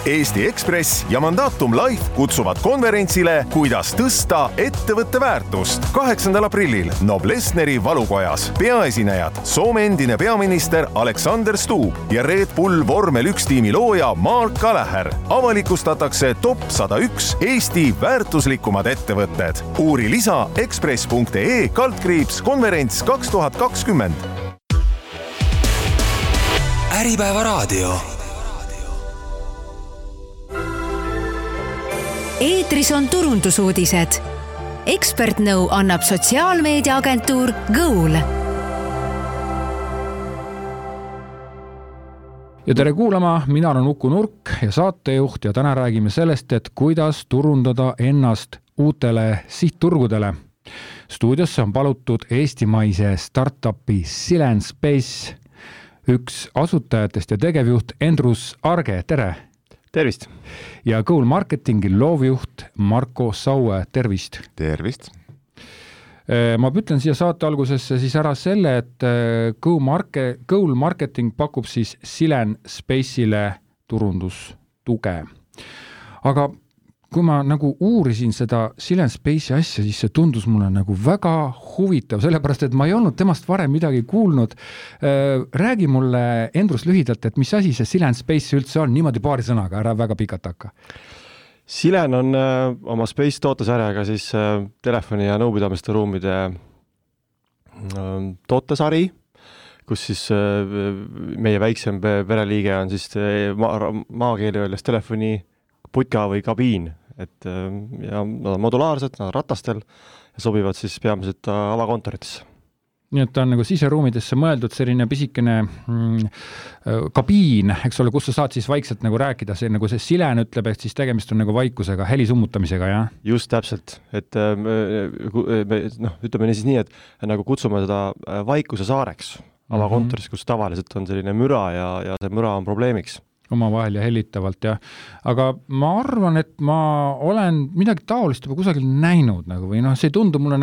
Eesti Ekspress ja Mandatum Life kutsuvad konverentsile Kuidas tõsta ettevõtte väärtust 8. aprillil Noblessneri valukojas. Peaesinejad Soome endine peaminister Alexander Stubb ja Red Bull Vormel 1 tiimi looja Mark Gallagher. Avalikustatakse top 101 Eesti väärtuslikumad ettevõtted. Uuri lisa ekspress.ee/konverents 2020. Äripäeva raadio. Eetris on turundusuudised. Ekspertnõu annab sotsiaalmeediaagentuur Goal. Ja tere kuulama, mina olen Uku Nurk ja saatejuht ja täna räägime sellest, et kuidas turundada ennast uutele sihtturgudele. Stuudiosse on palutud eestimaise startupi Silent Space üks asutajatest ja tegevjuht Endrus Arge, tere! Tervist! Ja Goal Marketingi loovjuht Marko Saue, tervist! Tervist! Ma ütlen siia saate algusesse siis ära selle, et Goal Marketing pakub siis Silent Space'ile turundustuge. Aga kui ma nagu uurisin seda Silent Space'i asja, siis see tundus mulle nagu väga huvitav, sellepärast, et ma ei olnud temast varem midagi kuulnud. Räägi mulle, Endrus, lühidalt, et mis asi see Silent Space üldse on, niimoodi paari sõnaga, ära väga pikalt hakka. Silent on oma Space tootesarjaga siis telefoni- ja nõupidamiste ruumide tootesari, kus siis meie väiksem pereliige on siis maakeeli öeldes telefoni putka või kabiin. Ja nad on modulaarsed, nad on ratastel ja sobivad siis peamiselt avakontoritesse. Nii et ta on nagu siseruumidesse mõeldud selline pisikene kabiin, eks ole, kus sa saad siis vaikselt nagu rääkida, see nagu see Silent ütleb, et siis tegemist on nagu vaikusega, heli summutamisega, jah? Just täpselt, et ütleme siis nii, et nagu kutsume seda vaikuse saareks avakontoris, kus tavaliselt on selline müra ja see müra on probleemiks. Omavahel ja hellitavalt, jah. Aga ma arvan, et ma olen midagi taolist juba kusagil näinud nagu, või see tundub mulle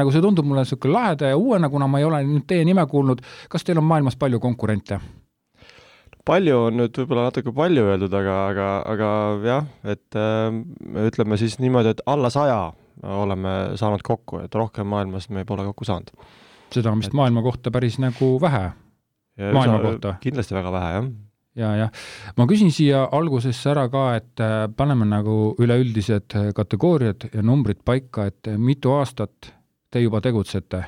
selline laheda ja uuena, kuna ma ei ole nüüd teie nime kuulnud. Kas teil on maailmas palju konkurente? Palju on nüüd võib-olla natuke palju öeldud, aga jah, et ütleme siis niimoodi, et alla 100 oleme saanud kokku, et rohkem maailmas me pole kokku saanud. Seda on vist maailma kohta päris nagu vähe. Maailma kohta. Kindlasti väga vähe, jah. Ja. Ma küsin siia algusesse ära ka, et paneme nagu üleüldised kategooriad ja numbrid paika, et mitu aastat te juba tegutsete?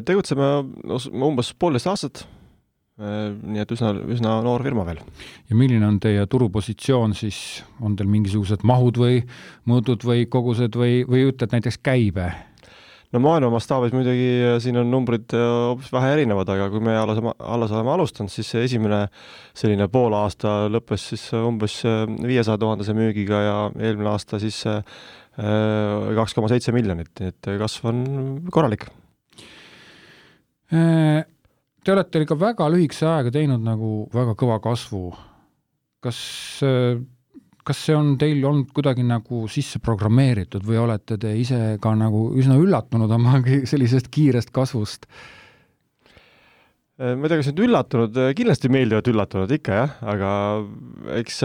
Tegutseme umbes 1,5 aastat, nii et üsna noor firma veel. Ja milline on teie turupositsioon siis? On teil mingisugused mahud või mõõdud või kogused või ütled näiteks käibe? No maailma mastaabis muidugi siin on numbrid hoopis vähe erinevad, aga kui me alles oleme alustanud, siis esimene selline pool aasta lõppes siis umbes 500 000 müügiga ja eelmine aasta siis 2,7 miljonit, et kasv on korralik. Te olete ikka väga lühikese aega teinud nagu väga kõva kasvu. Kas see on teil olnud kuidagi nagu sisse programmeeritud või olete te ise ka nagu üsna üllatunud oma sellisest kiirest kasvust? Ma ei tea, kas nüüd üllatunud, kindlasti meeldivad üllatunud ikka, jah, aga eks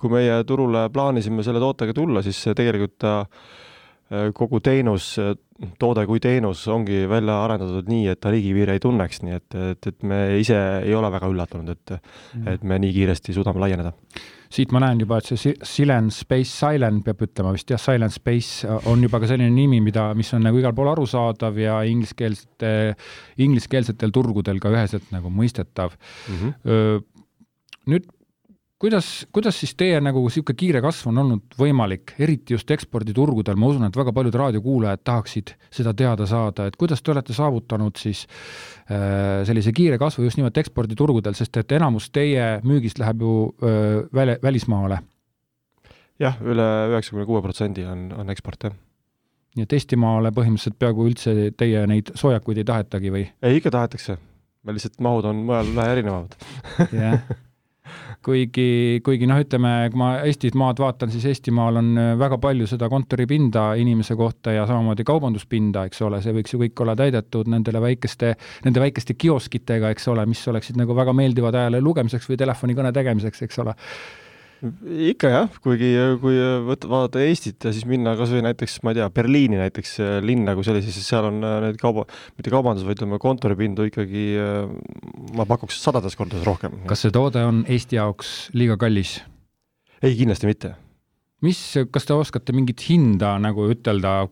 kui meie turule plaanisime selle tootega tulla, siis tegelikult kogu teenus, toode kui teenus ongi välja arendatud nii, et ta riigipiire ei tunneks, nii et me ise ei ole väga üllatunud, et me nii kiiresti suudame laieneda. Siit ma näen juba, et see Silent Space, Silent peab ütlema vist, jah, Silent Space on juba ka selline nimi, mis on nagu igal pool arusaadav ja ingliskeelsetel turgudel ka üheselt nagu mõistetav. Nüüd, kuidas siis teie nagu siuke kiire kasv on olnud võimalik, eriti just eksporditurgudel? Ma usun, et väga paljud raadiokuulajad tahaksid seda teada saada, et kuidas te olete saavutanud siis sellise kiire kasvu just nimelt eksporditurgudel, sest et enamus teie müügist läheb ju välismaale. Jah, üle 96% on eksport, jah. Nii et Eestimaale põhimõtteliselt peaaegu üldse teie neid soojakuid ei tahetagi või? Ei, ikka tahetakse. Me lihtsalt mahud on mõjal vähe erinevad. Jah. Kuigi ütleme, kui ma Eestit maad vaatan, siis Eestimaal on väga palju seda kontoripinda inimese kohta ja samamoodi kaubanduspinda, eks ole, see võiks ju kõik olla täidetud nende väikeste kioskitega, eks ole, mis oleksid nagu väga meeldivad ajale lugemiseks või telefonikõne tegemiseks, eks ole. Ikka jah, kui vaadata Eestit ja siis minna kas või näiteks, ma ei tea, Berliini näiteks linna kui sellise, siis seal on need mitte kaubandus, vaid kontoripindu ikkagi, ma pakuks 100 kordades rohkem. Kas see toode on Eesti jaoks liiga kallis? Ei, kindlasti mitte. Kas te oskate mingit hinda nagu ütelda,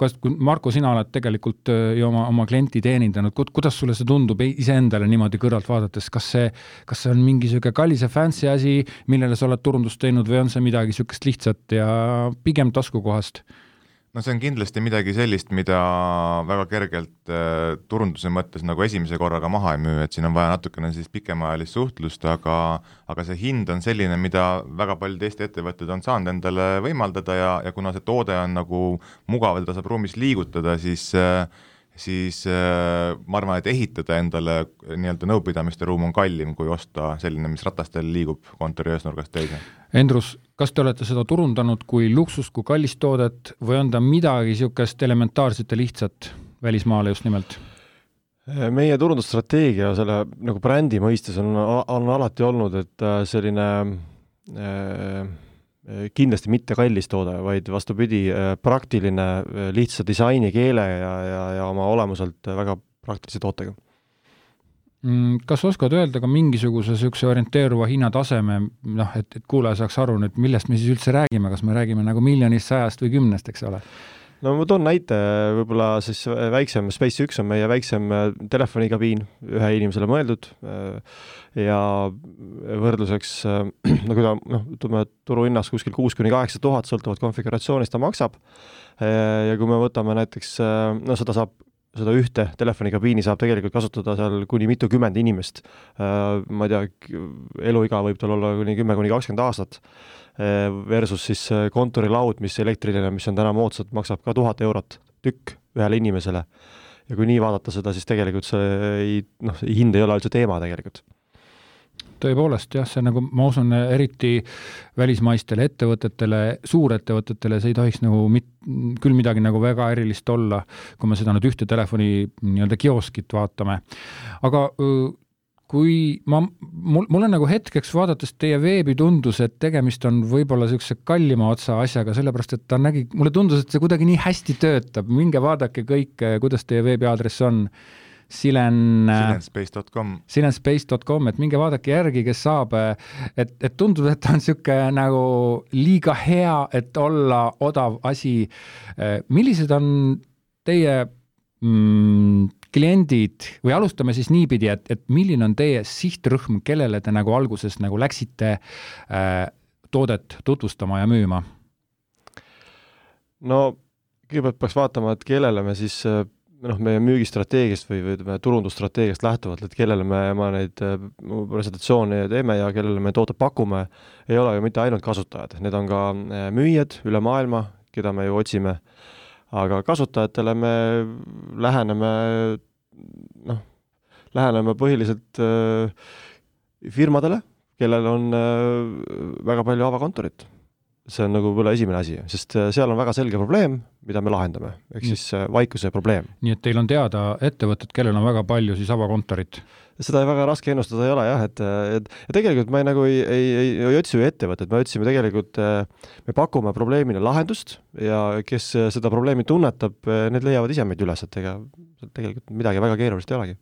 Marko, sina oled tegelikult ju oma klienti teenindanud, kuidas sulle see tundub iseendale niimoodi kõrvalt vaadates, kas see on mingi selline kallis ja fancy asi, millele sa oled turundust teinud või on see midagi sükest lihtsat ja pigem taskukohast? No see on kindlasti midagi sellist, mida väga kergelt turunduse mõttes nagu esimese korraga maha ei müü, et siin on vaja natukene siis pikemaajalist suhtlust, aga see hind on selline, mida väga paljud Eesti ettevõtted on saanud endale võimaldada ja kuna see toode on nagu mugav, ta saab ruumis liigutada, siis ma arvan, et ehitada endale nii-öelda nõupidamiste ruum on kallim, kui osta selline, mis ratastel liigub kontori ühesnurgast teise. Endrus, kas te olete seda turundanud kui luksust, kui kallist toodet või on ta midagi niisugust elementaarset ja lihtsat välismaale just nimelt? Meie turundusstrateegia selle nagu brändi mõistes on alati olnud, et selline kindlasti mitte kallis toode, vaid vastupidi praktiline, lihtsa disaini, keele ja oma olemuselt väga praktilise tootega. Kas oskad öelda ka mingisuguse sükse orienteeruva hinnataseme, et kuulaja saaks aru, et millest me siis üldse räägime, kas me räägime nagu 1 100 või 10, eks ole? No ma toon näite, võib-olla siis väiksem Space 1 on meie väiksem telefonikabiin, ühe inimesele mõeldud ja võrdluseks, ütleme, turuhinnas kuskil 6-8 000 sõltuvad konfiguratsioonist ta maksab ja kui me võtame näiteks, seda ühte telefonikabiini saab tegelikult kasutada seal kuni mitukümmend inimest. Ma ei tea, eluiga võib tal olla kuni 10-20 aastat versus siis kontorilaud, mis elektriline, mis on täna moodsad, maksab ka 1000 eurot tükk ühele inimesele. Ja kui nii vaadata seda, siis tegelikult see hind ei ole üldse teema tegelikult. Tõepoolest, jah, see nagu, ma usun, eriti välismaistele ettevõtetele, suurettevõtetele, see ei tohiks nagu küll midagi nagu väga erilist olla, kui me seda nüüd ühte telefoni nii-öelda kioskit vaatame. Aga kui mulle nagu hetkeks vaadates teie veebi tundus, et tegemist on võib-olla sellise kallima otsa asjaga, sellepärast, et mulle tundus, et see kuidagi nii hästi töötab. Minge vaadake kõik, kuidas teie veebiaadress on. Silenspace.com, et minge vaadake järgi, kes saab, et tundub, et on siuke nagu liiga hea, et olla odav asi. Millised on teie kliendid või alustame siis niipidi, et milline on teie sihtrühm, kellele te nagu alguses nagu läksite toodet tutvustama ja müüma? No, kõigepealt peaks vaatama, et kellele me siis meie müügistrateegiast või turundusstrateegiast lähtuvalt, et kellele me neid presentatsioone teeme ja kellele me tooted pakume, ei ole ju mitte ainult kasutajad. Need on ka müüjad üle maailma, keda me ju otsime, aga kasutajatele me läheneme põhiliselt firmadele, kellel on väga palju avakontorit. See on nagu võib-olla esimene asi, sest seal on väga selge probleem, mida me lahendame, ehk siis vaikuse probleem. Nii et teil on teada ettevõtted, kellel on väga palju siis avakontorit? Seda väga raske ennustada ei ole, jah, et tegelikult me nagu ei otsi ju ettevõtted, me otsime tegelikult, me pakume probleemile lahendust ja kes seda probleemi tunnetab, need leiavad ise meid üles, et tegelikult midagi väga keerulist ei olegi.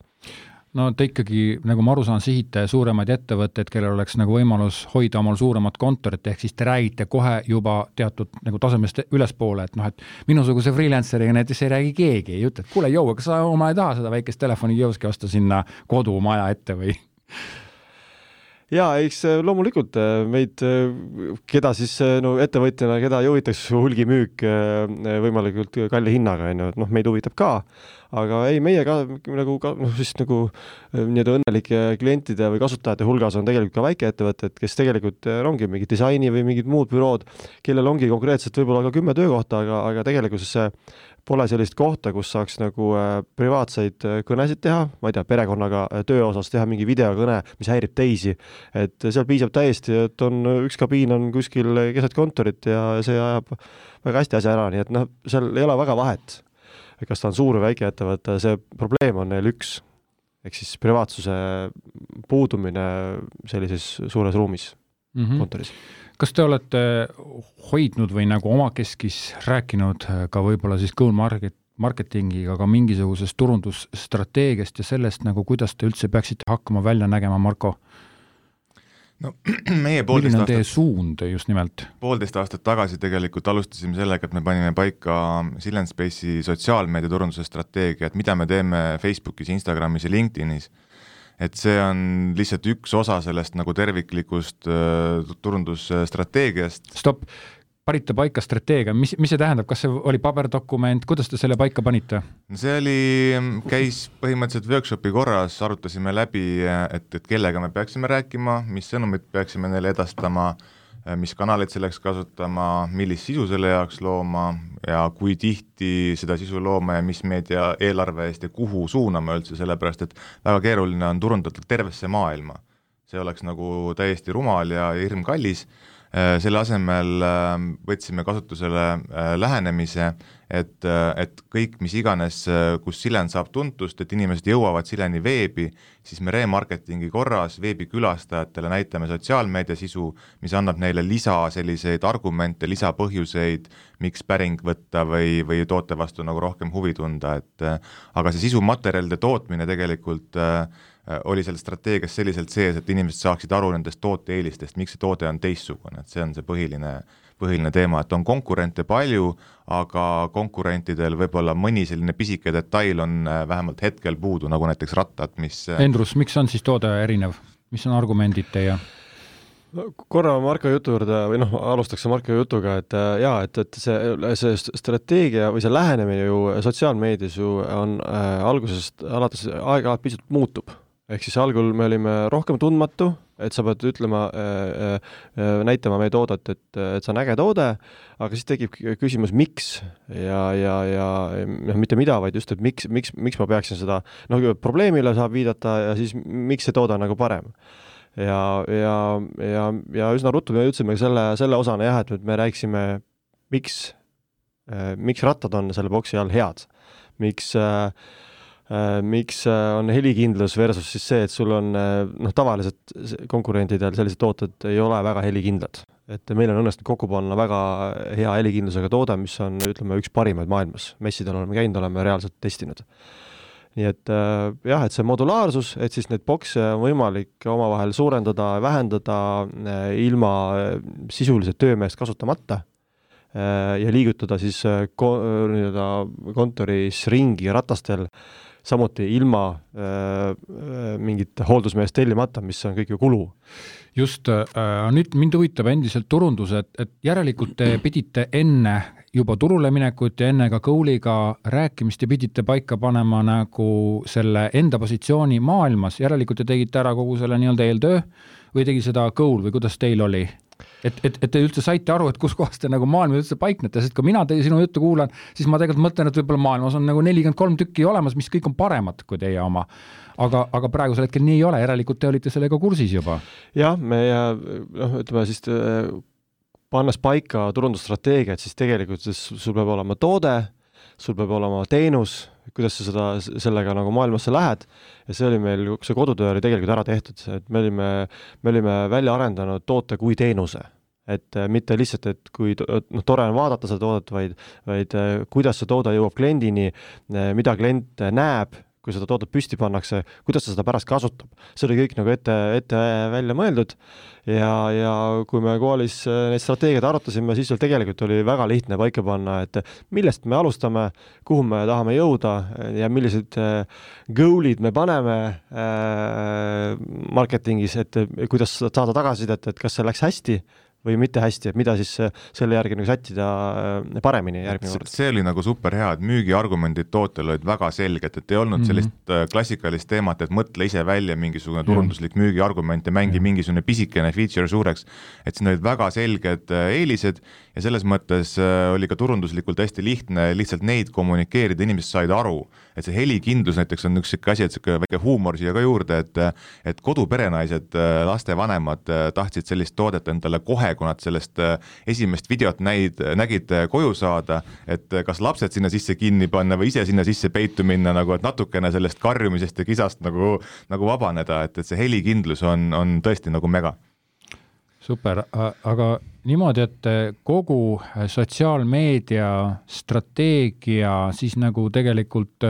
No te ikkagi, nagu ma aru saan, sihite suuremaid ettevõtteid, kellel oleks nagu võimalus hoida omal suuremat kontorit, ehk siis te räägite kohe juba teatud nagu tasemest ülespoole, et minusuguse freelanceriga näiteks ei räägi keegi, ei ütle, et kuule, kas sa oma ei taha seda väikest telefonikioski osta sinna kodumaja ette või? Jaa, eks loomulikult meid, keda siis ettevõtjana, keda juhitaks hulgimüük võimalikult kalli hinnaga, meid huvitab ka, aga ei, meie ka nagu õnnelike klientide või kasutajate hulgas on tegelikult ka väikeettevõtted, kes tegelikult ongi mingid disaini või mingid muud bürood, kellel ongi konkreetselt võib-olla ka 10 töökohta, aga tegelikult pole sellist kohta, kus saaks nagu privaatseid kõnesid teha, ma ei tea, perekonnaga töö osas teha mingi videokõne, mis häirib teisi, et seal piisab täiesti, et üks kabiin on kuskil keset kontorit ja see ajab väga hästi asja ära, nii et seal ei ole väga vahet, kas ta on suur või väike ettevõte, see probleem on neil üks, ehk siis privaatsuse puudumine sellises suures ruumis. kontoris. Kas te olete hoidnud või nagu omakeskis rääkinud ka võib-olla siis Goal marketingiga ka mingisugusest turundusstrateegiast ja sellest nagu, kuidas te üldse peaksite hakkama välja nägema, Marko? No, meie milline on teie suund just nimelt? 1,5 aastat tagasi tegelikult alustasime sellega, et me panime paika Silent Space'i sotsiaalmeedia turunduse strateegia, et mida me teeme Facebookis, Instagramis ja LinkedInis. Et see on lihtsalt üks osa sellest nagu terviklikust turundusstrateegiast. Stopp, panite paika strateegia, mis see tähendab, kas see oli paberdokument, kuidas te selle paika panite? See käis põhimõtteliselt workshopi korras, arutasime läbi, et kellega me peaksime rääkima, mis sõnumid peaksime neile edastama, mis kanaleid selleks kasutama, millist sisu selle jaoks looma ja kui tihti seda sisu looma ja mis meedia eelarve eest ja kuhu suunama üldse, sellepärast et väga keeruline on turundada tervesse maailma. See oleks nagu täiesti rumal ja hirmkallis. Selle asemel võtsime kasutusele lähenemise, et kõik, mis iganes, kus Silent saab tuntust, et inimesed jõuavad Sileni veebi, siis me remarketingi korras veebikülastajatele näitame sotsiaalmeedia sisu, mis annab neile selliseid argumente, lisapõhjuseid, miks päring võtta või toote vastu nagu rohkem huvi tunda, aga see sisumaterjalide tootmine tegelikult oli seal strateegias selliselt sees, et inimesed saaksid aru nendest toote eelistest, miks see toode on teistsugune, et see on see põhiline teema, et on konkurente palju, aga konkurentidel võib-olla mõni selline pisike detail on vähemalt hetkel puudu, nagu näiteks rattad, mis... Endrus, miks on siis toode erinev? Mis on argumendid teie? Korra Marko jutu juurde, või alustaks Marko jutuga, et see strateegia või see lähenemine ju sotsiaalmeedias ju on algusest alates aeg-ajalt pisut muutub. Ehk siis algul me olime rohkem tundmatu, et sa pead ütlema, näitama meie toodet, et see on äge toode, aga siis tekib küsimus, miks ja mitte mida, vaid just, et miks ma peaksin seda, probleemile saab viidata ja siis miks see toode on nagu parem. Ja üsna ruttu me ütlesime selle osana jah, et me rääksime, miks rattad on selle boksi all head, miks on helikindlus versus siis see, et sul on tavaliselt konkurentidel sellised tooted ei ole väga helikindlad. Et meil on õnnestunud kokku panna väga hea helikindlusega toode, mis on, ütleme, üks parimaid maailmas. Messidel oleme käinud, oleme reaalselt testinud. Nii et jah, et see modulaarsus, et siis neid bokse on võimalik omavahel suurendada, vähendada ilma sisulise töömeest kasutamata ja liigutada siis kontoris ringi ratastel, samuti ilma mingit hooldusmeest tellimata, mis on kõik ju kulu. Just, nüüd mind huvitab endiselt turundus, et järelikult te pidite enne juba turule minekut ja enne ka Goaliga rääkimist ja pidite paika panema nagu selle enda positsiooni maailmas, järelikult te tegite ära kogu selle nii-öelda eeltöö või tegi seda Goal või kuidas teil oli? Et te üldse saite aru, et kus kohas te nagu maailma üldse paiknete, sest kui mina teie sinu juttu kuulan, siis ma tegelikult mõtlen, et võib-olla maailmas on nagu 43 tükki olemas, mis kõik on paremad kui teie oma. Aga praegusel hetkel nii ei ole, järelikult te olite sellega kursis juba. Jah, ütleme siis pannes paika turundusstrateegiat, siis tegelikult sul peab olema toode, sul peab olema teenus, kuidas sa sellega nagu maailmasse lähed ja see oli meil, see kodutöö oli tegelikult ära tehtud, et me olime välja arendanud toote kui teenuse, et mitte lihtsalt, et kui tore on vaadata seda toodet, vaid kuidas see toode jõuab kliendini, mida klient näeb, kui seda toodet püsti pannakse, kuidas ta seda pärast kasutab. See oli kõik nagu ette välja mõeldud ja kui me Goalis neid strateegiad arutasime, siis tegelikult oli väga lihtne paika panna, et millest me alustame, kuhu me tahame jõuda ja millised goalid me paneme marketingis, et kuidas saada tagasisidet, et kas see läks hästi või mitte hästi, et mida siis selle järgi nagu sättida paremini järgmine kord. See oli nagu super hea, et müügiargumendid tootel olid väga selged, et ei olnud sellist klassikalist teemat, et mõtle ise välja mingisugune turunduslik müügiargument ja mängi mingisugune pisikene feature suureks, et siin olid väga selged eelised ja selles mõttes oli ka turunduslikult hästi lihtne lihtsalt neid kommunikeerida, inimesed said aru, et see helikindlus näiteks on üks asi, et see väike huumor siia ka juurde, et koduperenaised, lastevanemad tahtsid sellist toodet endale kohe, kui nad sellest esimest videot nägid koju saada, et kas lapsed sinna sisse kinni panna või ise sinna sisse peitu minna, nagu, et natukene sellest karjumisest ja kisast nagu vabaneda, et see helikindlus on tõesti nagu mega. Super, aga niimoodi, et kogu sotsiaalmeedia strateegia siis nagu tegelikult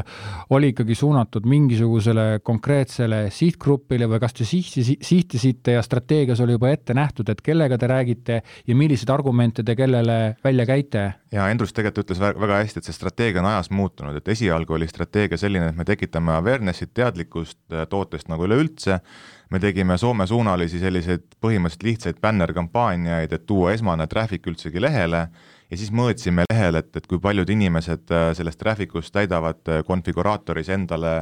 oli ikkagi suunatud mingisugusele konkreetsele sihtgrupile või kas te sihtisite ja strateegias oli juba ette nähtud, et kellega te räägite ja millised argumente te kellele välja käite? Ja Endrus tegelikult ütles väga hästi, et see strateegia on ajas muutunud, et esialgu oli strateegia selline, et me tekitame awareness'it, teadlikkust tootest nagu üleüldse. Me tegime Soome-suunalisi selliseid põhimõtteliselt lihtsaid banner-kampaaniaid, et tuua esmane traffic üldsegi lehele ja siis mõõtsime lehel, et kui paljud inimesed sellest trafficust täidavad konfiguraatoris endale,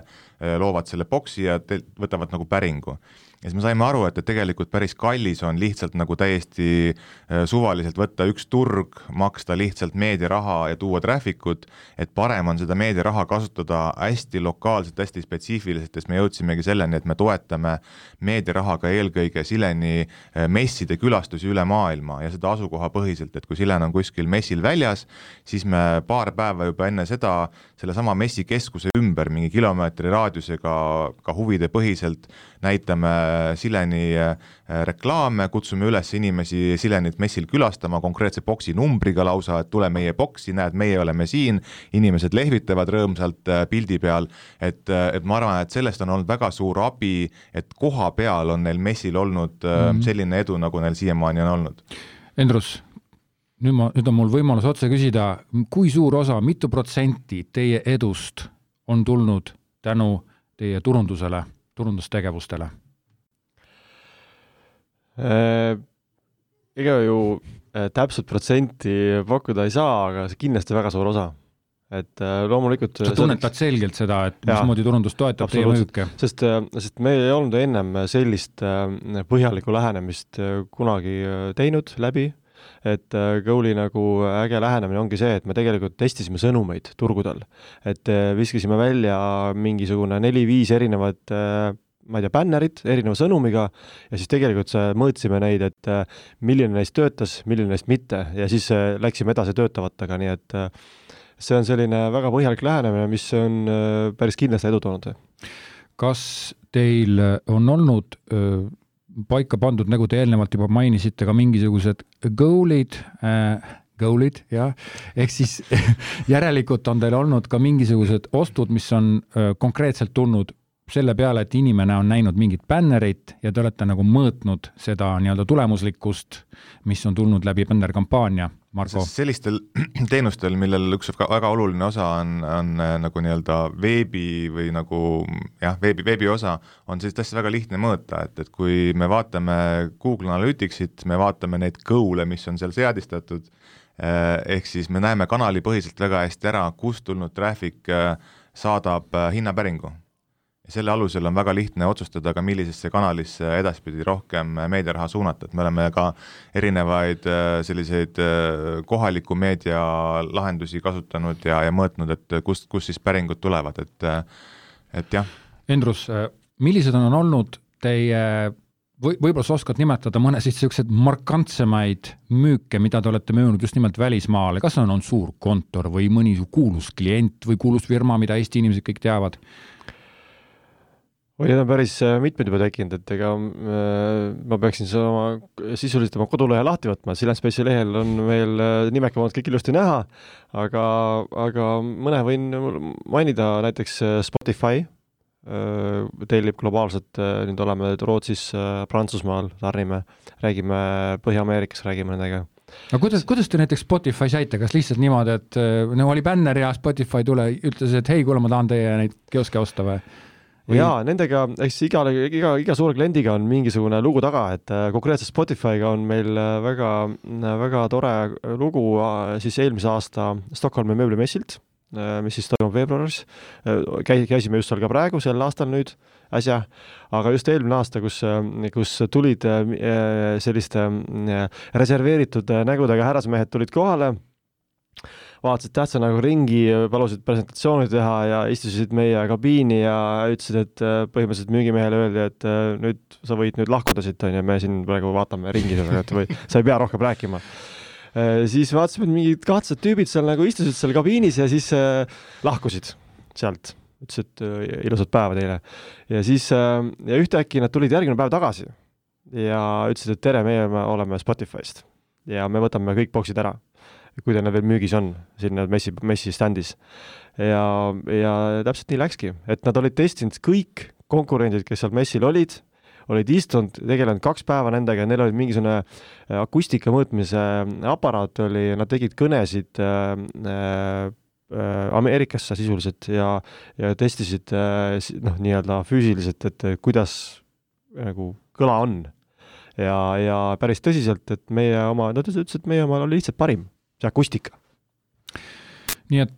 loovad selle boksi ja võtavad nagu päringu. Ja siis me saime aru, et tegelikult päris kallis on lihtsalt nagu täiesti suvaliselt võtta üks turg, maksta lihtsalt meediaraha ja tuua trafficut, et parem on seda meediaraha kasutada hästi lokaalselt, hästi spetsiifiliselt, sest me jõudsimegi selleni, et me toetame meediarahaga eelkõige Sileni messide külastusi üle maailma ja seda asukoha põhiselt, et kui Silen on kuskil messil väljas, siis me paar päeva juba enne seda sellesama messikeskuse ümber mingi kilomeetri raadiusega ka huvide põhiselt näitame Sileni reklaame, kutsume üles inimesi Silenit messil külastama konkreetse boksi numbriga lausa, et tule meie boksi, näed, meie oleme siin, inimesed lehvitavad rõõmsalt pildi peal, et ma arvan, et sellest on olnud väga suur abi, et koha peal on neil messil olnud selline edu, nagu neil siiamaani on olnud. Endrus, nüüd on mul võimalus otse küsida, kui suur osa, mitu protsenti teie edust on tulnud tänu teie turundustegevustele? Ega ju täpselt protsenti pakkuda ei saa, aga see kindlasti väga suur osa. Et loomulikult sa tunnetad selgelt seda, et mismoodi turundus toetab teie müüke? Sest meil ei olnud ennem sellist põhjalikku lähenemist kunagi teinud läbi, et Goal'i nagu äge lähenemine ongi see, et me tegelikult testisime sõnumeid turgudel, et viskasime välja mingisugune 4-5 erinevat ma ei tea, bannerit erineva sõnumiga ja siis tegelikult mõõtsime neid, et milline neist töötas, milline neist mitte ja siis läksime edasi töötavatega, nii et see on selline väga põhjalik lähenemine, mis on päris kindlasti edu toonud. Kas teil on olnud paika pandud, nagu te eelnevalt juba mainisite, ka mingisugused goal'id, jah, ehk siis järelikult on teil olnud ka mingisugused ostud, mis on konkreetselt tulnud selle peale, et inimene on näinud mingit bannerit ja te olete nagu mõõtnud seda nii-öelda tulemuslikkust, mis on tulnud läbi banner-kampaania, Marko? Sellistel teenustel, millel üks väga oluline osa on nagu nii-öelda veebi või nagu veebi osa, on sellist asja väga lihtne mõõta, et kui me vaatame Google Analyticsit, me vaatame neid goal'e, mis on seal seadistatud, ehk siis me näeme kanalipõhiselt väga hästi ära, kust tulnud traffic saadab hinnapäringu. Selle alusel on väga lihtne otsustada ka millisesse kanalisse edaspidi rohkem meediaraha suunata, et me oleme ka erinevaid selliseid kohaliku meedia lahendusi kasutanud ja mõõtnud, et kust siis päringud tulevad, et jah. Endrus, millised on olnud teie, võib-olla sa oskad nimetada mõne sellised markantsemaid müüke, mida te olete müünud just nimelt välismaale, kas on suur kontor või mõni kuulus klient või kuulus firma, mida Eesti inimesed kõik teavad? Need on päris mitmed juba tekkinud, et ega ma peaksin sisuliselt oma kodulehe lahti võtma, Silen Space'i lehel on veel nimekamad kõik ilusti näha, aga mõne võin mainida näiteks Spotify, tellib globaalselt, nüüd oleme Rootsis, Prantsusmaal, tarnime, räägime Põhja-Ameerikas, räägime nendega. No kuidas te näiteks Spotify saite, kas lihtsalt niimoodi, et oli banner ja Spotify ütles, et hei, kuule, ma tahan teie neid kioske osta või? Jaa, nendega, iga suure kliendiga on mingisugune lugu taga, et konkreetselt Spotify'ga on meil väga tore lugu siis eelmise aasta Stockholmi mööblimessilt, mis siis toimub veebruaris. Käisime just seal ka praegu, sel aastal nüüd äsja, aga just eelmine aasta, kus tulid selliste reserveeritud nägudega härrasmehed tulid kohale, vaatasid tähtsa nagu ringi, palusid presentatsiooni teha ja istusid meie kabiini ja ütlesid, et põhimõtteliselt müügimehele öeldi, et nüüd sa võid nüüd lahkuda siit, ja me siin praegu vaatame ringi, või sa ei pea rohkem rääkima. Siis vaatasime, et mingid kahtsed tüübid seal nagu istusid seal kabiinis ja siis lahkusid sealt. Ütlesid, et ilusat päeva teile. Ja siis ja ühtäkki nad tulid järgmine päev tagasi. ja ütlesid, et tere, meie oleme Spotify'st ja me võtame kõik boksid ära, kui teil veel müügis on sinna messi standis. Ja täpselt nii läkski, et nad olid testinud kõik konkurendid, kes seal messil olid istunud, tegelenud 2 päeva nendega ja neil olid mingisugune akustika mõõtmise aparaat oli, nad tegid kõnesid Ameerikasse sisuliselt ja testisid nii-öelda füüsiliselt, et kuidas nagu kõla on. Ja päris tõsiselt, et meie oma, nad ütlesid, et meie oma oli lihtsalt parim, see akustika. Nii et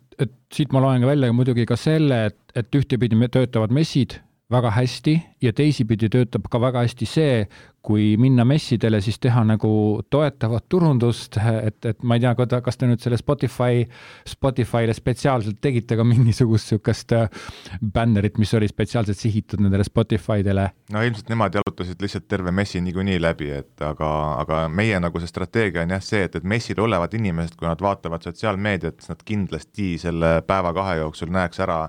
siit ma loen ka välja muidugi ka selle, et ühtepidi töötavad messid väga hästi ja teisipidi töötab ka väga hästi see, kui minna messidele, siis teha nagu toetavat turundust, et ma ei tea, kas te nüüd selle Spotify'le spetsiaalselt tegite ka mingisugust sükast bännerit, mis oli spetsiaalselt sihitud nendele Spotify'dele? No ilmselt nemad jalutasid lihtsalt terve messi niikuinii läbi, aga meie nagu see strateegia on jah see, et messil olevad inimesed, kui nad vaatavad sotsiaalmeediat, nad kindlasti selle päeva 2 jooksul näeks ära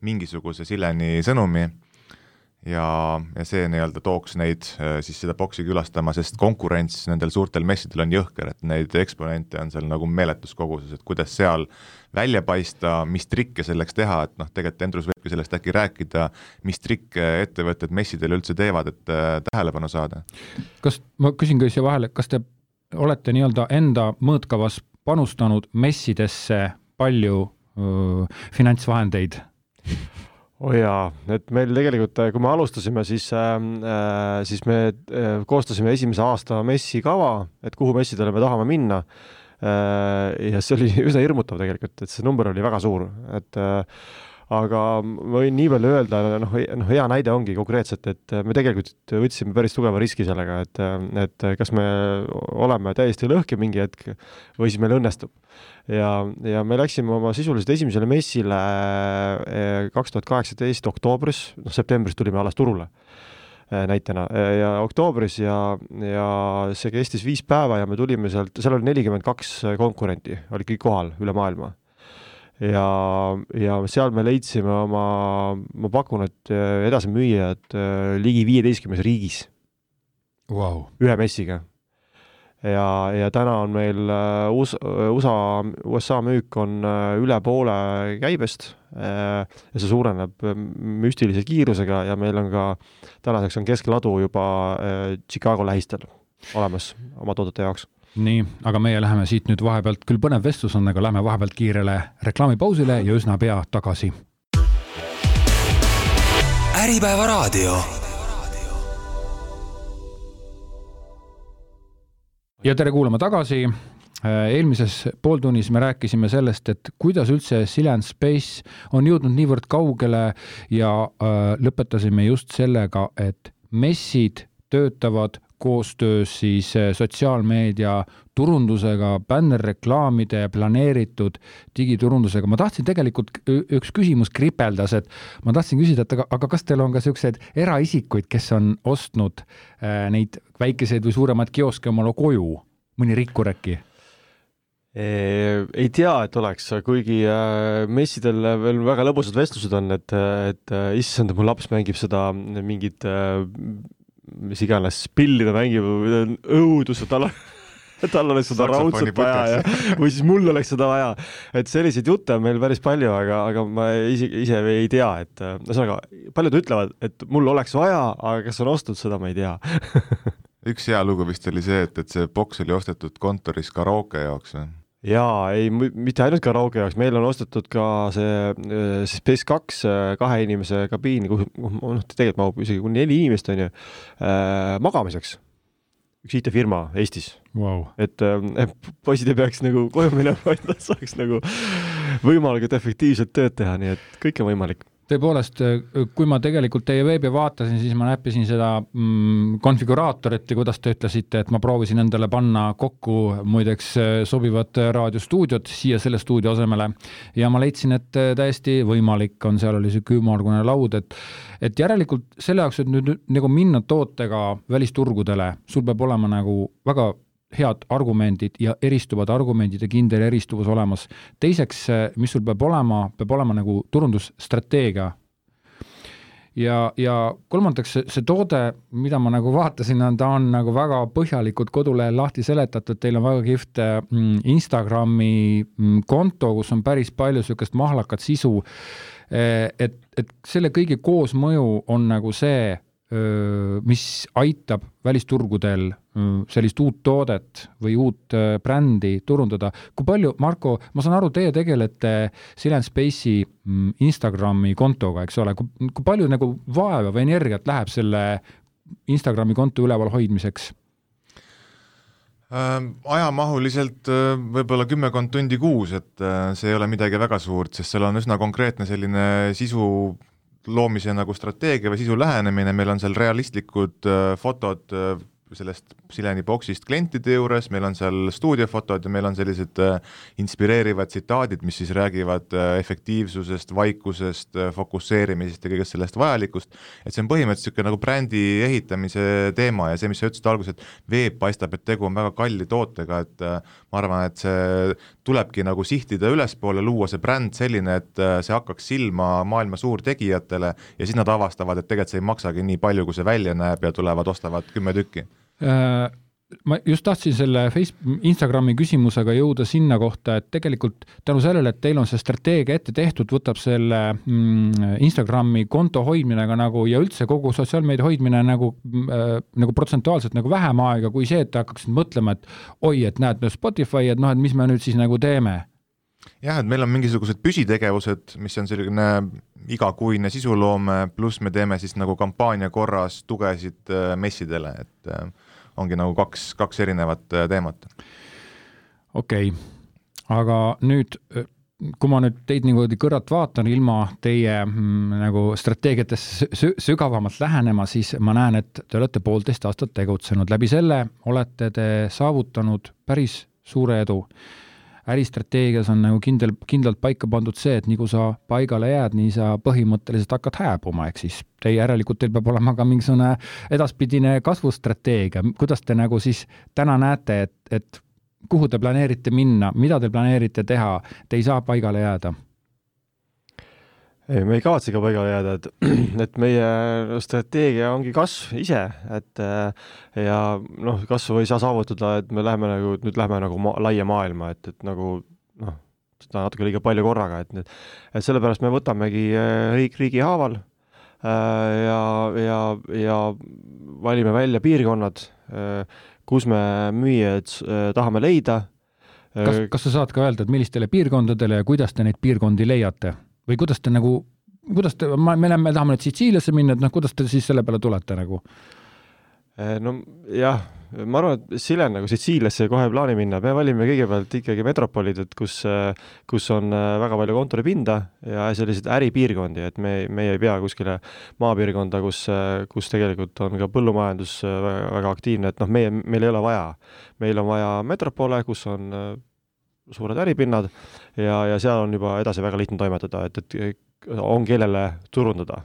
mingisuguse Sileni sõnumi ja see nii-öelda tooks neid siis seda boksi külastama, sest konkurents nendel suurtel messidel on jõhker, et neid eksponente on seal nagu meeletus koguses, et kuidas seal välja paista, mis trikke selleks teha, et tegelikult Endrus võibki sellest äkki rääkida, mis trikke ettevõtted messidel üldse teevad, et tähelepanu saada. Kas, ma küsin ka siia vahele, kas te olete nii-öelda enda mõõtkavas panustanud messidesse palju finantsvahendeid? Jaa, et meil tegelikult, kui me alustasime, siis me koostasime esimese aasta messi kava, et kuhu messidele me tahame minna. Ja see oli üsna hirmutav tegelikult, et see number oli väga suur. Aga ma võin nii palju öelda, hea näide ongi konkreetselt, et me tegelikult võtsime päris tugeva riski sellega, et kas me oleme täiesti lõhki mingi hetk või siis meil õnnestub. Ja me läksime oma sisuliselt esimesele messile 2018 oktoobris, septembris tulime alles turule näitena ja oktoobris ja see kestis 5 päeva ja me tulime sealt, seal oli 42 konkurenti, oli kõik kohal üle maailma. Ja seal me leidsime ma pakun, et edasi müüjad ligi 15 riigis ühe messiga. Ja täna on meil USA müük on üle poole käibest ja see suureneb müstilise kiirusega ja meil on ka tänaseks on keskladu juba Chicago lähistel olemas oma toodete jaoks. Nii, aga meie läheme siit nüüd vahepealt, küll põnev vestlus on, aga läheme vahepealt kiirele reklaamipausile ja üsna pea tagasi. Äripäeva raadio. Ja tere kuulama tagasi. Eelmises pooltunnis me rääkisime sellest, et kuidas üldse Silen Space on jõudnud niivõrd kaugele ja lõpetasime just sellega, et messid töötavad koostöös siis sotsiaalmeedia turundusega, bännerreklaamide planeeritud digiturundusega. Ma tahtsin tegelikult üks küsimus kripeldas, et ma tahtsin küsida, et aga kas teil on ka sellised eraisikuid, kes on ostnud neid väikeseid või suuremaid kioske omale koju, mõni rikkuräki? Ei tea, et oleks, kuigi messidel veel väga lõbusad vestlused on, et issand, mu laps mängib seda mingit mis iganes pilli ta mängib, õudus, tal oleks seda raudselt vaja või siis mul oleks seda vaja. Et selliseid jutte on meil päris palju, aga ma ise ei tea, et paljud ütlevad, et mul oleks vaja, aga kas on ostnud seda, ma ei tea. Üks hea lugu vist oli see, et see boks oli ostetud kontoris karaoke jaoks või? Jaa, ei, mitte ainult karaoke jaoks, meil on ostetud ka see Space 2 2 inimese kabiini, tegelikult mahub isegi 4 inimest on ju, magamiseks. Üks IT-firma Eestis. Wow. Et poisid ei peaks nagu koju minema, vaid nad saaks nagu võimalikult efektiivselt tööd teha, nii et kõik on võimalik. Tõepoolest, kui ma tegelikult teie veebi vaatasin, siis ma näppisin seda konfiguraatorit ja kuidas te ütlesite, et ma proovisin endale panna kokku muideks sobivat raadiostuudiot siia selle stuudio asemele ja ma leidsin, et täiesti võimalik on, seal oli see ümmargune laud, et järelikult selle jaoks, et nüüd nagu minna tootega välisturgudele, sul peab olema nagu väga head argumendid ja eristuvad argumendid ja kindel eristuvus olemas. Teiseks, mis sul peab olema nagu turundusstrateegia. ja kolmandaks see toode, mida ma nagu vaatasin, ta on nagu väga põhjalikult kodulehel lahti seletatud, teil on väga kihvt Instagrami konto, kus on päris palju sellist mahlakat sisu, et selle kõigi koosmõju on nagu see, mis aitab välisturgudel sellist uut toodet või uut brändi turundada. Kui palju, Marko, ma saan aru, teie tegelete Silent Space'i Instagrami kontoga, eks ole, kui palju nagu vaeva või energiat läheb selle Instagrami konto üleval hoidmiseks? Ajamahuliselt võib-olla 10 tundi kuus, et see ei ole midagi väga suurt, sest seal on üsna konkreetne selline sisu loomise nagu strateegia või sisu lähenemine, meil on seal realistlikud fotod sellest Sileni boksist klientide juures, meil on seal stuudiofotod ja meil on sellised inspireerivad tsitaadid, mis siis räägivad efektiivsusest, vaikusest, fokusseerimisest ja kõigest sellest vajalikust, et see on põhimõtteliselt nagu brändi ehitamise teema ja see, mis sa ütlesid alguses, et veeb paistab, et tegu on väga kalli tootega, et ma arvan, et see tulebki nagu sihtida ülespoole, luua see bränd selline, et see hakkaks silma maailma suurtegijatele ja siis nad avastavad, et tegelikult see ei maksagi nii palju, kui see välja näeb ja tulevad, ostavad 10 tükki. Ma just tahtsin selle Instagrami küsimusega jõuda sinna kohta, et tegelikult tänu sellele, et teil on see strateegia ette tehtud, võtab selle Instagrami konto hoidmine ka nagu ja üldse kogu sotsiaalmeedia hoidmine nagu protsentuaalselt nagu vähem aega kui see, et hakkaksid mõtlema, et oi, et näed, Spotify, et noh, et mis me nüüd siis nagu teeme. Jah, et meil on mingisugused püsitegevused, mis on selline igakuine sisuloome, pluss me teeme siis nagu kampaania korras tugesid messidele, et ongi nagu kaks erinevat teemat. Okei, aga nüüd, kui ma nüüd teid niimoodi kõrvalt vaatan ilma teie nagu strateegiatesse sügavamalt lähenema, siis ma näen, et te olete 1,5 aastat tegutsenud. Läbi selle olete te saavutanud päris suure edu. Äristrateegias on nagu kindlalt paika pandud see, et nii kui sa paigale jääd, nii sa põhimõtteliselt hakkad hääbuma, ehk siis teil peab olema ka mingisugune edaspidine kasvustrateegia. Kuidas te nagu siis täna näete, et kuhu te planeerite minna, mida te planeerite teha, te ei saa paigale jääda? Ei, me ei kavatse ka paigale jääda, et meie strateegia ongi kasv ise, et ja noh, kasvu ei saa saavutada, et me läheme nagu laia maailma, et nagu noh, seda natuke liiga palju korraga, et sellepärast me võtamegi riigi haaval ja valime välja piirkonnad, kus me müüjad tahame leida. Kas sa saad ka öelda, et millistele piirkondadele ja kuidas te neid piirkondi leiate? Või kuidas te me tahame nüüd Sitsiiliasse minna, et kuidas te siis selle peale tulete nagu? No jah, ma arvan, et Silen nagu Sitsiiliasse kohe plaani minna, me valime kõigepealt ikkagi metropolid, et kus on väga palju kontoripinda ja sellised äripiirkondi, et me ei pea kuskile maapiirkonda, kus tegelikult on ka põllumajandus väga aktiivne, et noh, meil ei ole vaja. Meil on vaja metropole, kus on suured äripinnad ja seal on juba edasi väga lihtne toimetada, et on kellele turundada.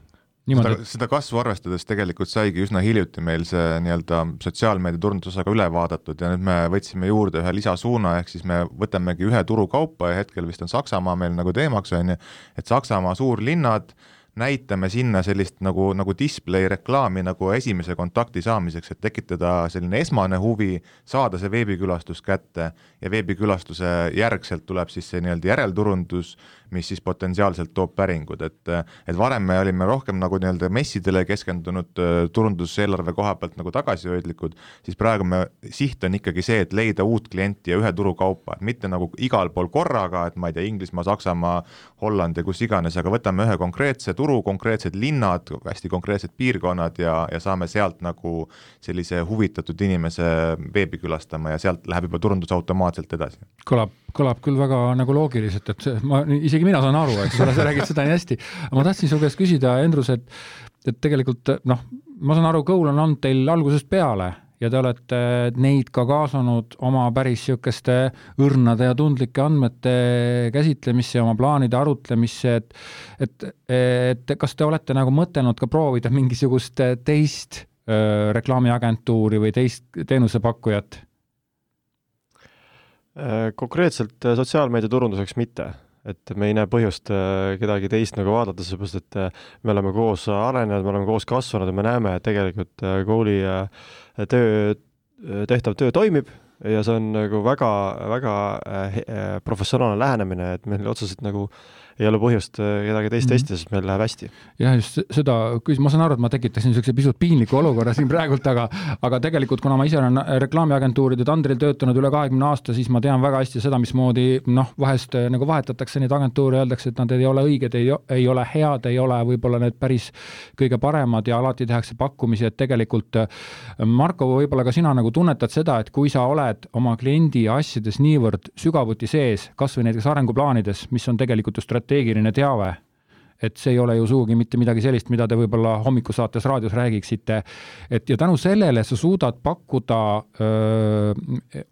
Seda kasvu arvestades tegelikult saigi üsna hiljuti meil see nii-öelda sotsiaalmeedia turundusosaga üle vaadatud ja nüüd me võtsime juurde ühe lisasuuna, ehk siis me võtamegi ühe turukaupa ja hetkel vist on Saksamaa meil nagu teemaks, et Saksamaa suurlinnad näitame sinna sellist nagu display reklaami nagu esimese kontakti saamiseks, et tekitada selline esmane huvi, saada see veebikülastus kätte ja veebikülastuse järgselt tuleb siis see nii-öelda järelturundus, mis siis potentsiaalselt toob päringud, et varem me olime rohkem nagu nii-öelda messidele keskendunud turunduseelarve koha pealt nagu tagasihoidlikud, siis praegu siht on ikkagi see, et leida uut klienti ja ühe turukaupa, et mitte nagu igal pool korraga, et ma ei tea, Inglismaa, Saksamaa, Holland ja kus iganes, aga võtame ühe konkreetse turu, konkreetsed linnad, hästi konkreetsed piirkonnad ja saame sealt nagu sellise huvitatud inimese veebi külastama ja sealt läheb juba turundus automaatselt edasi. Kõlab küll väga nagu loogiliselt, et isegi mina saan aru, et sa räägid seda nii hästi. Ma tahtsin su käest küsida, Endrus, et tegelikult ma saan aru, Goal on olnud teil algusest peale ja te olete neid ka kaasanud oma päris siukeste õrnade ja tundlike andmete käsitlemisse ja oma plaanide arutlemisse, et kas te olete nagu mõtelnud ka proovida mingisugust teist reklaamiagentuuri või teist teenusepakkujat? Konkreetselt sotsiaalmeedia turunduseks mitte, et me ei näe põhjust kedagi teist nagu vaadata, seepärast, et me oleme koos arenenud, me oleme koos kasvanud ja me näeme, et tegelikult kooli tehtav töö toimib ja see on nagu väga, väga professionaalne lähenemine, et meil otseselt nagu ei ole põhjust kedagi teist testida, sest meil läheb hästi. Ja just seda, ma saan aru, et ma tekitasin niisuguse pisut piinliku olukorra siin praegult, aga tegelikult, kuna ma ise olen reklaamiagentuuride tandril töötanud üle 20 aasta, siis ma tean väga hästi seda, mismoodi vahest nagu vahetatakse neid agentuure, öeldakse, et nad ei ole õiged, ei ole head, ei ole võib-olla need päris kõige paremad ja alati tehakse pakkumisi, et tegelikult Marko, võib-olla ka sina nagu tunnetad seda, et kui sa oled oma kliendi asjades niivõrd sügavuti sees, kas või näiteks arenguplaanides, mis on tegelikult just strateegiline teave, et see ei ole ju suugi mitte midagi sellist, mida te võib-olla hommikusaates raadios räägiksite, et ja tänu sellele sa suudad pakkuda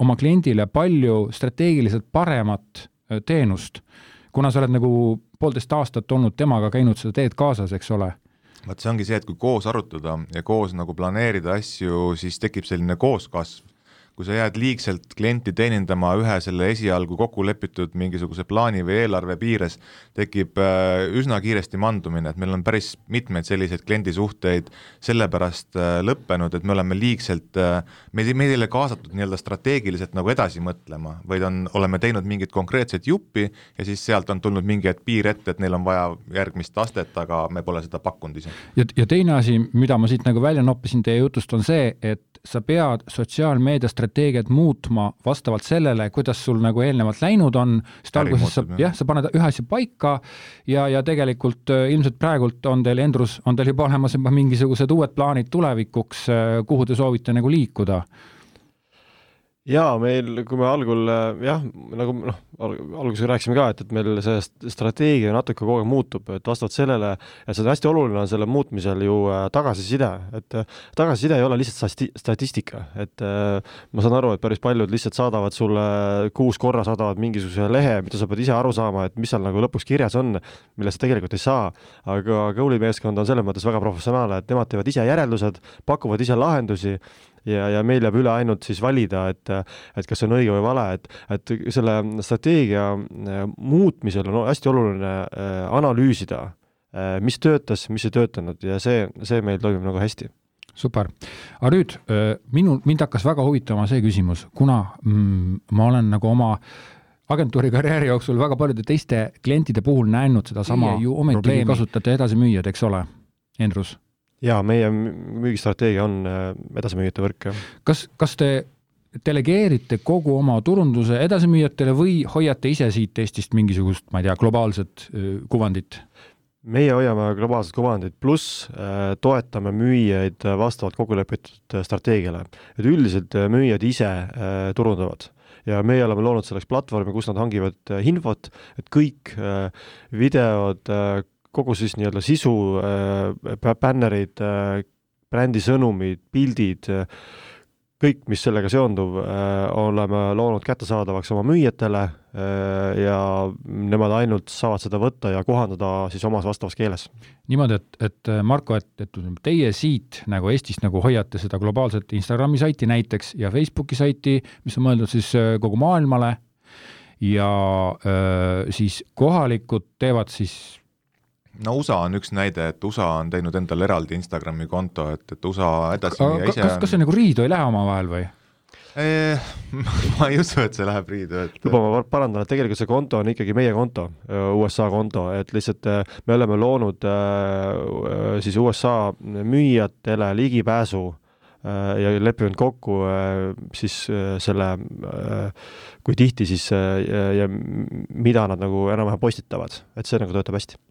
oma kliendile palju strateegiliselt paremat teenust, kuna sa oled nagu 1,5 aastat olnud temaga käinud seda teed kaasas, eks ole. Vaat see ongi see, et kui koos arutada ja koos nagu planeerida asju, siis tekib selline kooskasv. Kui sa jääd liigselt klienti teenindama ühe selle esialgu kokku lepitud mingisuguse plaani või eelarve piires, tekib üsna kiiresti mandumine, et meil on päris mitmeid selliseid kliendisuhteid sellepärast lõppenud, et me oleme liigselt, me ei ole kaasatud nii-öelda strateegiliselt nagu edasi mõtlema, vaid oleme teinud mingit konkreetset juppi ja siis sealt on tulnud mingi piir ette, et neil on vaja järgmist astet, aga me pole seda pakkunud ise. Ja teine asi, mida ma siit nagu välja noppisin teie jutust, on see, et sa pead sotsiaalmeedia strateegiat muutma vastavalt sellele, kuidas sul nagu eelnevalt läinud on, sest alguses sa paned ühe asja paika ja tegelikult ilmselt praegult on teil, Endrus, on teil juba olemas mingisugused uued plaanid tulevikuks, kuhu te soovite nagu liikuda? Jaa, meil, kui me algul, nagu alguses rääkisime ka, et meil see strateegia natuke kogu aeg muutub, et vastavalt sellele, et see on hästi oluline on selle muutmisel ju tagasiside, et tagasiside ei ole lihtsalt statistika, et ma saan aru, et päris paljud lihtsalt saadavad sulle 6 korra saadavad mingisuguse lehe, mida sa pead ise aru saama, et mis seal nagu lõpuks kirjas on, mille sa tegelikult ei saa, aga Goali meeskond on selles mõttes väga professionaalne, et nemad teevad ise järeldused, pakuvad ise lahendusi ja meil jääb üle ainult siis valida, et kas see on õige või vale, et selle strateegia muutmisel on hästi oluline analüüsida, mis töötas, mis ei töötanud ja see meil toimib nagu hästi. Super. Aga nüüd, mind hakkas väga huvitama see küsimus, kuna ma olen nagu oma agentuuri karjääri jooksul väga paljude teiste klientide puhul näinud seda sama ju ometigi kasutate edasimüüjad, eks ole, Endrus? Jaa, meie müügistrateegia on edasimüüjate võrk. Kas te delegeerite kogu oma turunduse edasimüüjatele või hoiate ise siit Eestist mingisugust, ma ei tea, globaalset kuvandit? Meie hoiame globaalset kuvandit, pluss toetame müüjaid vastavalt kokkulepitud strateegiale. Et üldiselt müüjad ise turundavad. Ja meie oleme loonud selleks platvormi, kus nad hangivad infot, et kõik videod, kogu siis nii-öelda sisu, bännerid, brändisõnumid, pildid, kõik, mis sellega seonduv, oleme loonud kättesaadavaks oma müüjatele ja nemad ainult saavad seda võtta ja kohandada siis omas vastavas keeles. Niimoodi, et Marko, et teie siit nagu Eestist nagu hoiate seda globaalset Instagrami saiti näiteks ja Facebooki saiti, mis on mõeldud siis kogu maailmale ja siis kohalikud teevad siis No USA on üks näide, et USA on teinud endale eraldi Instagrami konto, et USA edasimüüja ise kas see nagu riidu ei lähe oma vahel või? Ma ei usu, et see läheb riidu. Luba ma parandan, et tegelikult see konto on ikkagi meie konto, USA konto, et lihtsalt me oleme loonud siis USA müüjatele ligipääsu ja leppinud kokku siis selle, kui tihti siis ja mida nad nagu enam-vähem postitavad, et see nagu töötab hästi.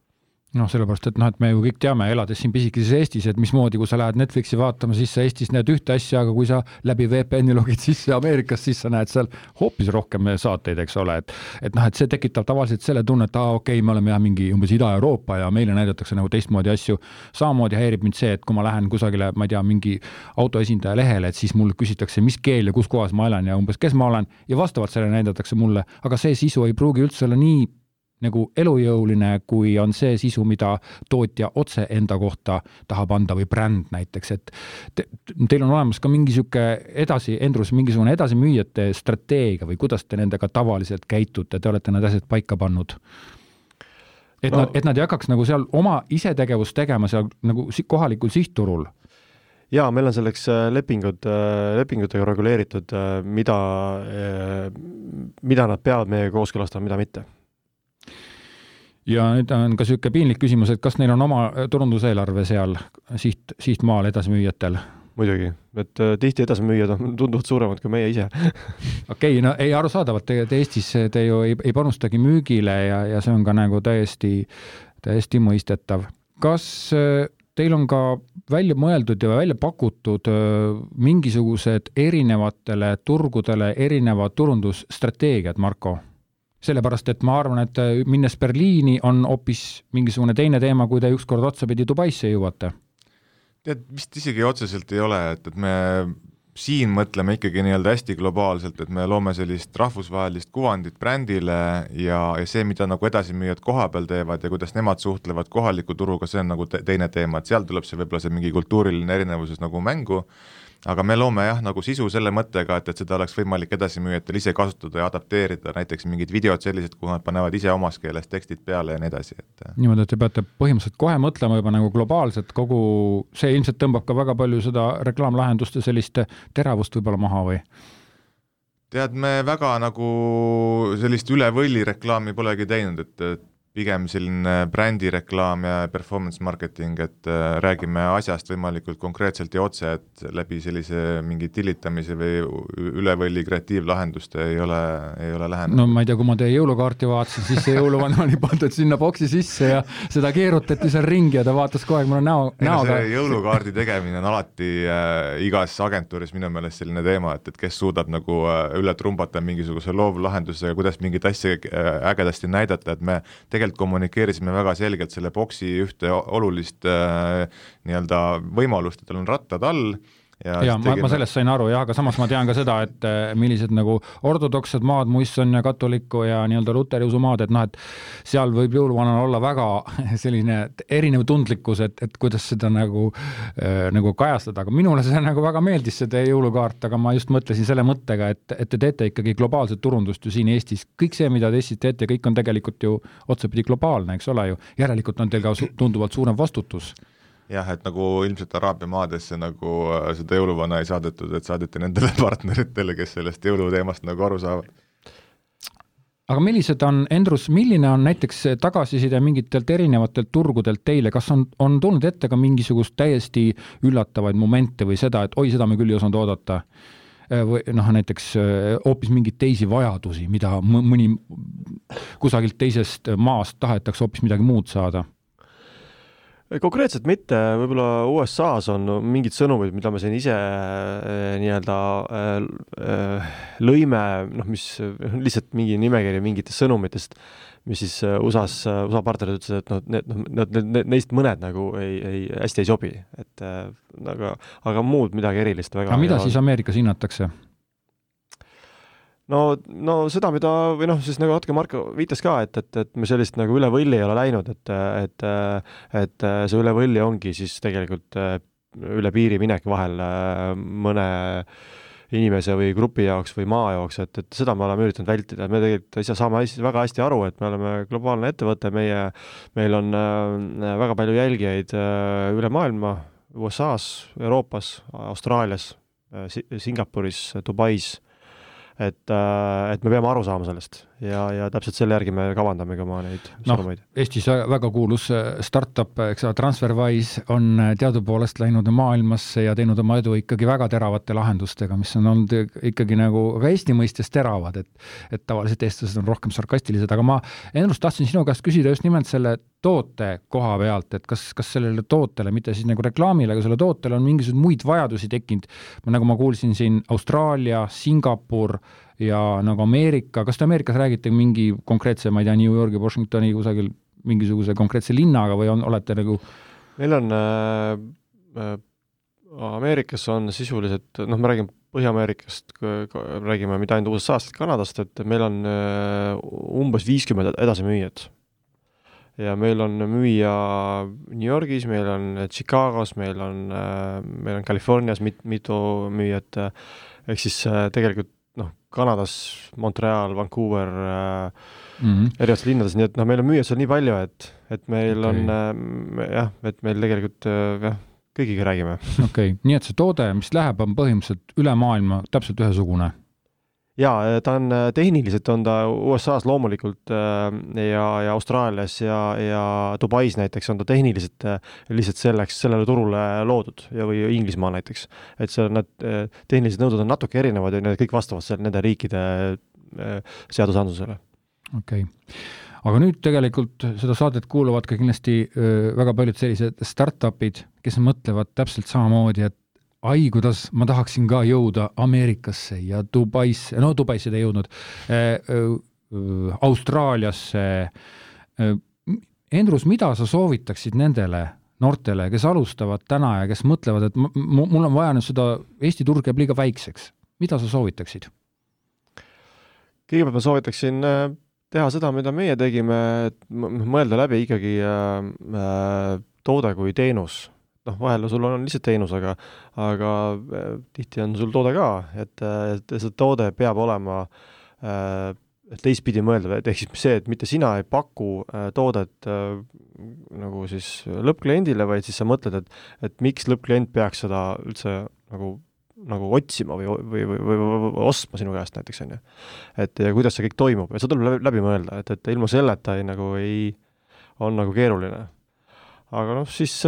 No sellepärast, et me ju kõik teame, elades siin pisikeses Eestis, et mismoodi, kui sa lähed Netflixi vaatama, siis sa Eestis näed ühte asja, aga kui sa läbi VPN-i logid sisse Ameerikas, siis sa näed seal hoopis rohkem saateid, eks ole, et see tekitab tavaliselt selle tunne, et okei, me oleme mingi umbes Ida-Euroopa ja meile näidatakse nagu teistmoodi asju. Samamoodi häirib mind see, et kui ma lähen kusagile, ma ei tea, mingi autoesindaja lehele, et siis mul küsitakse, mis keel ja kus kohas ma elan ja umbes kes ma olen ja vastavalt selle näidatakse mulle, aga see sisu ei pruugi üldse olla nii nagu elujõuline, kui on see sisu, mida tootja otse enda kohta tahab anda või bränd näiteks, et teil on olemas ka mingi siuke Endrus, mingisugune edasimüüjate strateegia või kuidas te nendega tavaliselt käitute, te olete need asjad paika pannud? Et nad ei hakkaks nagu seal oma isetegevust tegema seal nagu kohalikul sihtturul? Jaa, meil on selleks lepingutega reguleeritud, mida nad peavad meie kooskõlastama, mida mitte. Ja nüüd on ka siuke piinlik küsimus, et kas neil on oma turunduseelarve seal sihtmaal edasimüüjatel? Muidugi, et tihti edasimüüjad on tunduvalt suuremad kui meie ise. Okei, no ei arusaadavalt, te Eestis te ju ei panustagi müügile ja see on ka nagu täiesti mõistetav. Kas teil on ka välja mõeldud ja välja pakutud mingisugused erinevatele turgudele erinevad turundusstrateegiad, Marko? Sellepärast, et ma arvan, et minnes Berliini on hoopis mingisugune teine teema, kui te ükskord otsapidi Dubaisse jõuate. Tead, vist isegi otseselt ei ole, et me siin mõtleme ikkagi nii-öelda hästi globaalselt, et me loome sellist rahvusvahelist kuvandit brändile ja see, mida nagu edasimüüjad koha peal teevad ja kuidas nemad suhtlevad kohaliku turuga, see on nagu teine teema, et seal tuleb see võib-olla see mingi kultuuriline erinevuses nagu mängu, aga me loome nagu sisu selle mõttega, et seda oleks võimalik edasimüüjatel ise kasutada ja adapteerida, näiteks mingid videod sellised, kuhu nad panevad ise omas keeles tekstid peale ja nii edasi. Niimoodi, et te peate põhimõtteliselt kohe mõtlema juba nagu globaalselt kogu, see ilmselt tõmbab ka väga palju seda reklaamlahenduste sellist teravust võib-olla maha või? Tead, me väga nagu sellist üle võlli reklaami polegi teinud, et pigem selline brändireklaam ja performance marketing, et räägime asjast võimalikult konkreetselt ja otse, et läbi sellise mingi tillitamise või ülevõlli kreatiivlahenduste ei ole lähenud. No ma ei tea, kui ma teie jõulukaarti vaatasin, siis see jõuluvana oli pandud sinna boksi sisse ja seda keerutati seal ringi ja ta vaatas kogu aeg mulle näoga. See jõulukaardi tegemine on alati igas agentuuris minu meelest selline teema, et kes suudab nagu üle trumbata mingisuguse loovlahendusega, kuidas mingit asja ägedasti näidata, et me tegelikult kommunikeerisime väga selgelt selle boksi ühte olulist nii-öelda võimalust, et tal on rattad all. Ja ma sellest sain aru, aga samas ma tean ka seda, et millised nagu ortodoksed maad, muisson ja katolikku ja nii-öelda luteriusu maad, et seal võib jõuluvanal olla väga selline erinev tundlikkus, et kuidas seda nagu kajastada, aga minule see nagu väga meeldis seda jõulukaart, aga ma just mõtlesin selle mõttega, et te teete ikkagi globaalset turundust ju siin Eestis. Kõik see, mida te Eestis teete, kõik on tegelikult ju otsapidi globaalne, eks ole ju. Järelikult on teil ka tunduvalt suurem vastutus. Jah, et nagu ilmselt Araabia maadesse nagu seda jõuluvana ei saadetud, et saadeti nendele partneritele, kes sellest jõuluteemast nagu aru saavad. Aga milline on näiteks tagasiside mingitelt erinevatelt turgudelt teile? Kas on tulnud ette ka mingisugust täiesti üllatavaid momente või seda, et seda me küll ei osanud oodata? Või näiteks hoopis mingid teisi vajadusi, mida mõni kusagilt teisest maast tahetakse hoopis midagi muud saada? Konkreetselt mitte, võib-olla USA-s on mingid sõnumid, mida me siin ise nii-öelda lõime, mis lihtsalt mingi nimekiri mingitest sõnumitest, mis siis USA partnerid ütlesid, et neist mõned nagu hästi ei sobi, aga muud midagi erilist väga. Aga mida siis Ameerikas hinnatakse? No seda, mida, või siis nagu natuke Marko viitas ka, et me sellist nagu üle võlli ei ole läinud, et see üle võlli ongi siis tegelikult üle piiri minek vahel mõne inimese või grupi jaoks või maa jaoks, et seda me oleme üritanud vältida. Me tegelikult ise saame väga hästi aru, et me oleme globaalne ettevõte, meil on väga palju jälgijaid üle maailma, USA-s, Euroopas, Austraalias, Singapuris, Dubais, et me peame aru saama sellest ja täpselt selle järgi me kavandame ka neid sõnumeid. Eestis väga kuulus startup, TransferWise on teadupoolest läinud maailmasse ja teinud oma edu ikkagi väga teravate lahendustega, mis on olnud ikkagi nagu ka Eesti mõistes teravad, et tavaliselt eestlased on rohkem sarkastilised, aga ma ennust tahtsin sinu käest küsida just nimelt selle toote koha pealt, et kas sellele tootele, mitte siis nagu reklaamile, aga selle tootele on mingisugused muid vajadusi tekkinud, nagu ma kuulsin siin Austraalia, Singapur ja nagu Ameerika, kas te Ameerikas räägite mingi konkreetse, ma ei tea, New Yorgi, Washingtoni kusagil mingisuguse konkreetse linnaga või olete nagu? Meil on Ameerikas on sisuliselt, me räägime Põhja-Ameerikast, räägime mitte ainult USA-st, Kanadast, et meil on umbes 50 edasimüüjat. Ja meil on müüja New Yorgis, meil on Chicagos, meil on Californias mitu müüjat, ehk siis tegelikult Kanadas, Montreal, Vancouver, erinevates linnades, nii et meil on müüjad seal nii palju, et meil on et meil tegelikult kõigiga räägime. Okei, nii et see toode, mis läheb, on põhimõtteliselt üle maailma täpselt ühesugune? Jaa, ta on tehniliselt on ta USA-s loomulikult ja Austraalias ja Dubais näiteks on ta tehniliselt lihtsalt sellele turule loodud või Inglismaa näiteks. Et see need tehnilised nõuded on natuke erinevad ja need kõik vastavad nende riikide seadusandlusele. Okei. Aga nüüd tegelikult seda saadet kuuluvad ka kindlasti väga paljud sellised startupid, kes mõtlevad täpselt samamoodi, et kuidas ma tahaksin ka jõuda Ameerikasse ja Dubaisse, Dubaisse ei jõudnud, Austraaliasse. Endrus, mida sa soovitaksid nendele noortele, kes alustavad täna ja kes mõtlevad, et mul on vaja nüüd seda Eesti turg jääb liiga väikseks. Mida sa soovitaksid? Kõigepealt ma soovitaksin teha seda, mida meie tegime, et mõelda läbi ikkagi toode kui teenus. Vahel sul on lihtsalt teenus, aga tihti on sul toode ka, et see toode peab olema teistpidi mõelda, ehk siis see, et mitte sina ei paku toodet nagu siis lõppkliendile, vaid siis sa mõtled, et miks lõppklient peaks seda üldse nagu otsima või ostma sinu käest näiteks, on ju. Et ja kuidas see kõik toimub, ja see tuleb läbi mõelda, et ilma selleta on nagu keeruline. Aga siis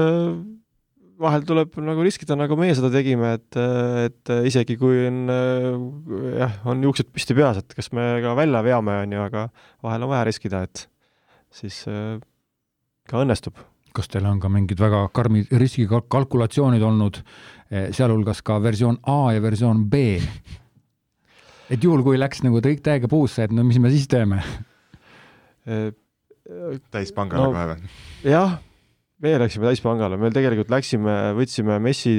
vahel tuleb nagu riskida, nagu meie seda tegime, et isegi kui on juuksed püsti peas, et kas me ka välja veame, on ju, aga vahel on vaja riskida, et siis ka õnnestub. Kas teil on ka mingid väga karmid riskikalkulatsioonid olnud, sealhulgas ka versioon A ja versioon B? Et juhul, kui läks nagu täiega puusse, et mis me siis teeme? Täispangale kohe või? Jah, meie läksime täispangale. Meil tegelikult võtsime messi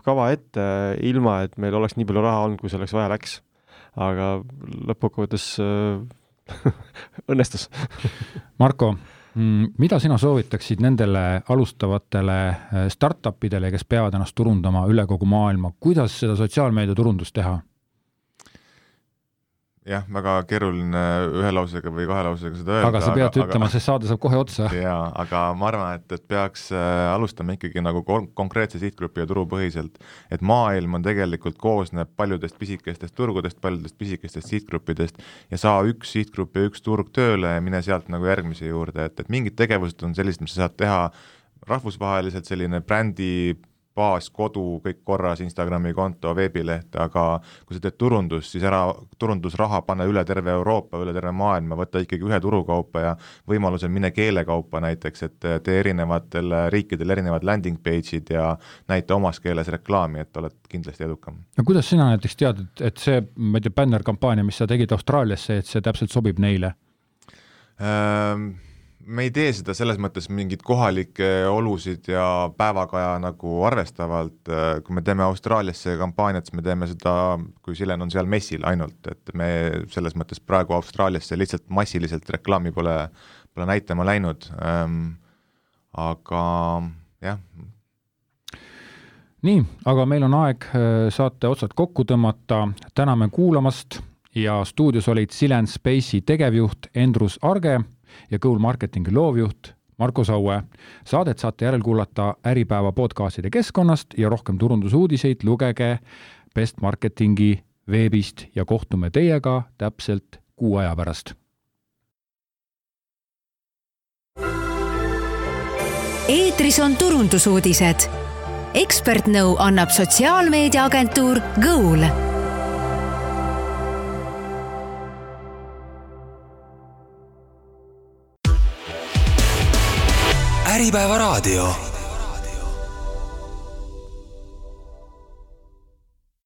kava ette ilma, et meil oleks nii palju raha olnud, kui selleks vaja läks. Aga lõppkokkuvõttes õnnestus. Marko, mida sina soovitaksid nendele alustavatele startupidele, kes peavad ennast turundama üle kogu maailma? Kuidas seda sotsiaalmeedia turundust teha? Jah, väga keeruline ühe lausega või kahe lausega seda öelda. Aga sa pead ütlema, see saade saab kohe otsa. Jaa, aga ma arvan, et peaks alustama ikkagi nagu konkreetse sihtgrupi ja turupõhiselt. Et maailm on tegelikult koosneb paljudest pisikestest turgudest, paljudest pisikestest sihtgruppidest ja saa üks sihtgrupp ja üks turg tööle ja mine sealt nagu järgmise juurde. Et mingid tegevused on sellised, mis sa saad teha rahvusvaheliselt, selline brändi baas, kodu, kõik korras, Instagrami konto, veebileht, aga kui sa teed turundus, siis turundusraha panna üle terve Euroopa, üle terve maailma, võtta ikkagi ühe turukaupa ja võimalusel mine keelekaupa näiteks, et tee erinevatel riikidel erinevad landing page'id ja näita omas keeles reklaami, et oled kindlasti edukam. No kuidas sina näiteks tead, et see banner-kampaania, mis sa tegid Austraaliasse, et see täpselt sobib neile? Me ei tee seda selles mõttes mingid kohalikke olusid ja päevakaja nagu arvestavalt. Kui me teeme Austraaliasse kampaaniat, me teeme seda, kui Silen on seal messil ainult, et me selles mõttes praegu Austraaliasse lihtsalt massiliselt reklaami pole näitama läinud. Aga jah. Nii, aga meil on aeg saate otsad kokku tõmmata. Täname kuulamast ja stuudios olid Silen Space'i tegevjuht Endrus Arge ja Goal Marketingi loovjuht Marko Saue. Saadet saate järel kuulata Äripäeva podcastide keskkonnast ja rohkem turundusuudiseid lugege Best Marketingi veebist ja kohtume teiega täpselt 6 aja pärast. Eetris on turundusuudised. Ekspertnõu annab sotsiaalmeediaagentuur Goal. Äripäeva raadio.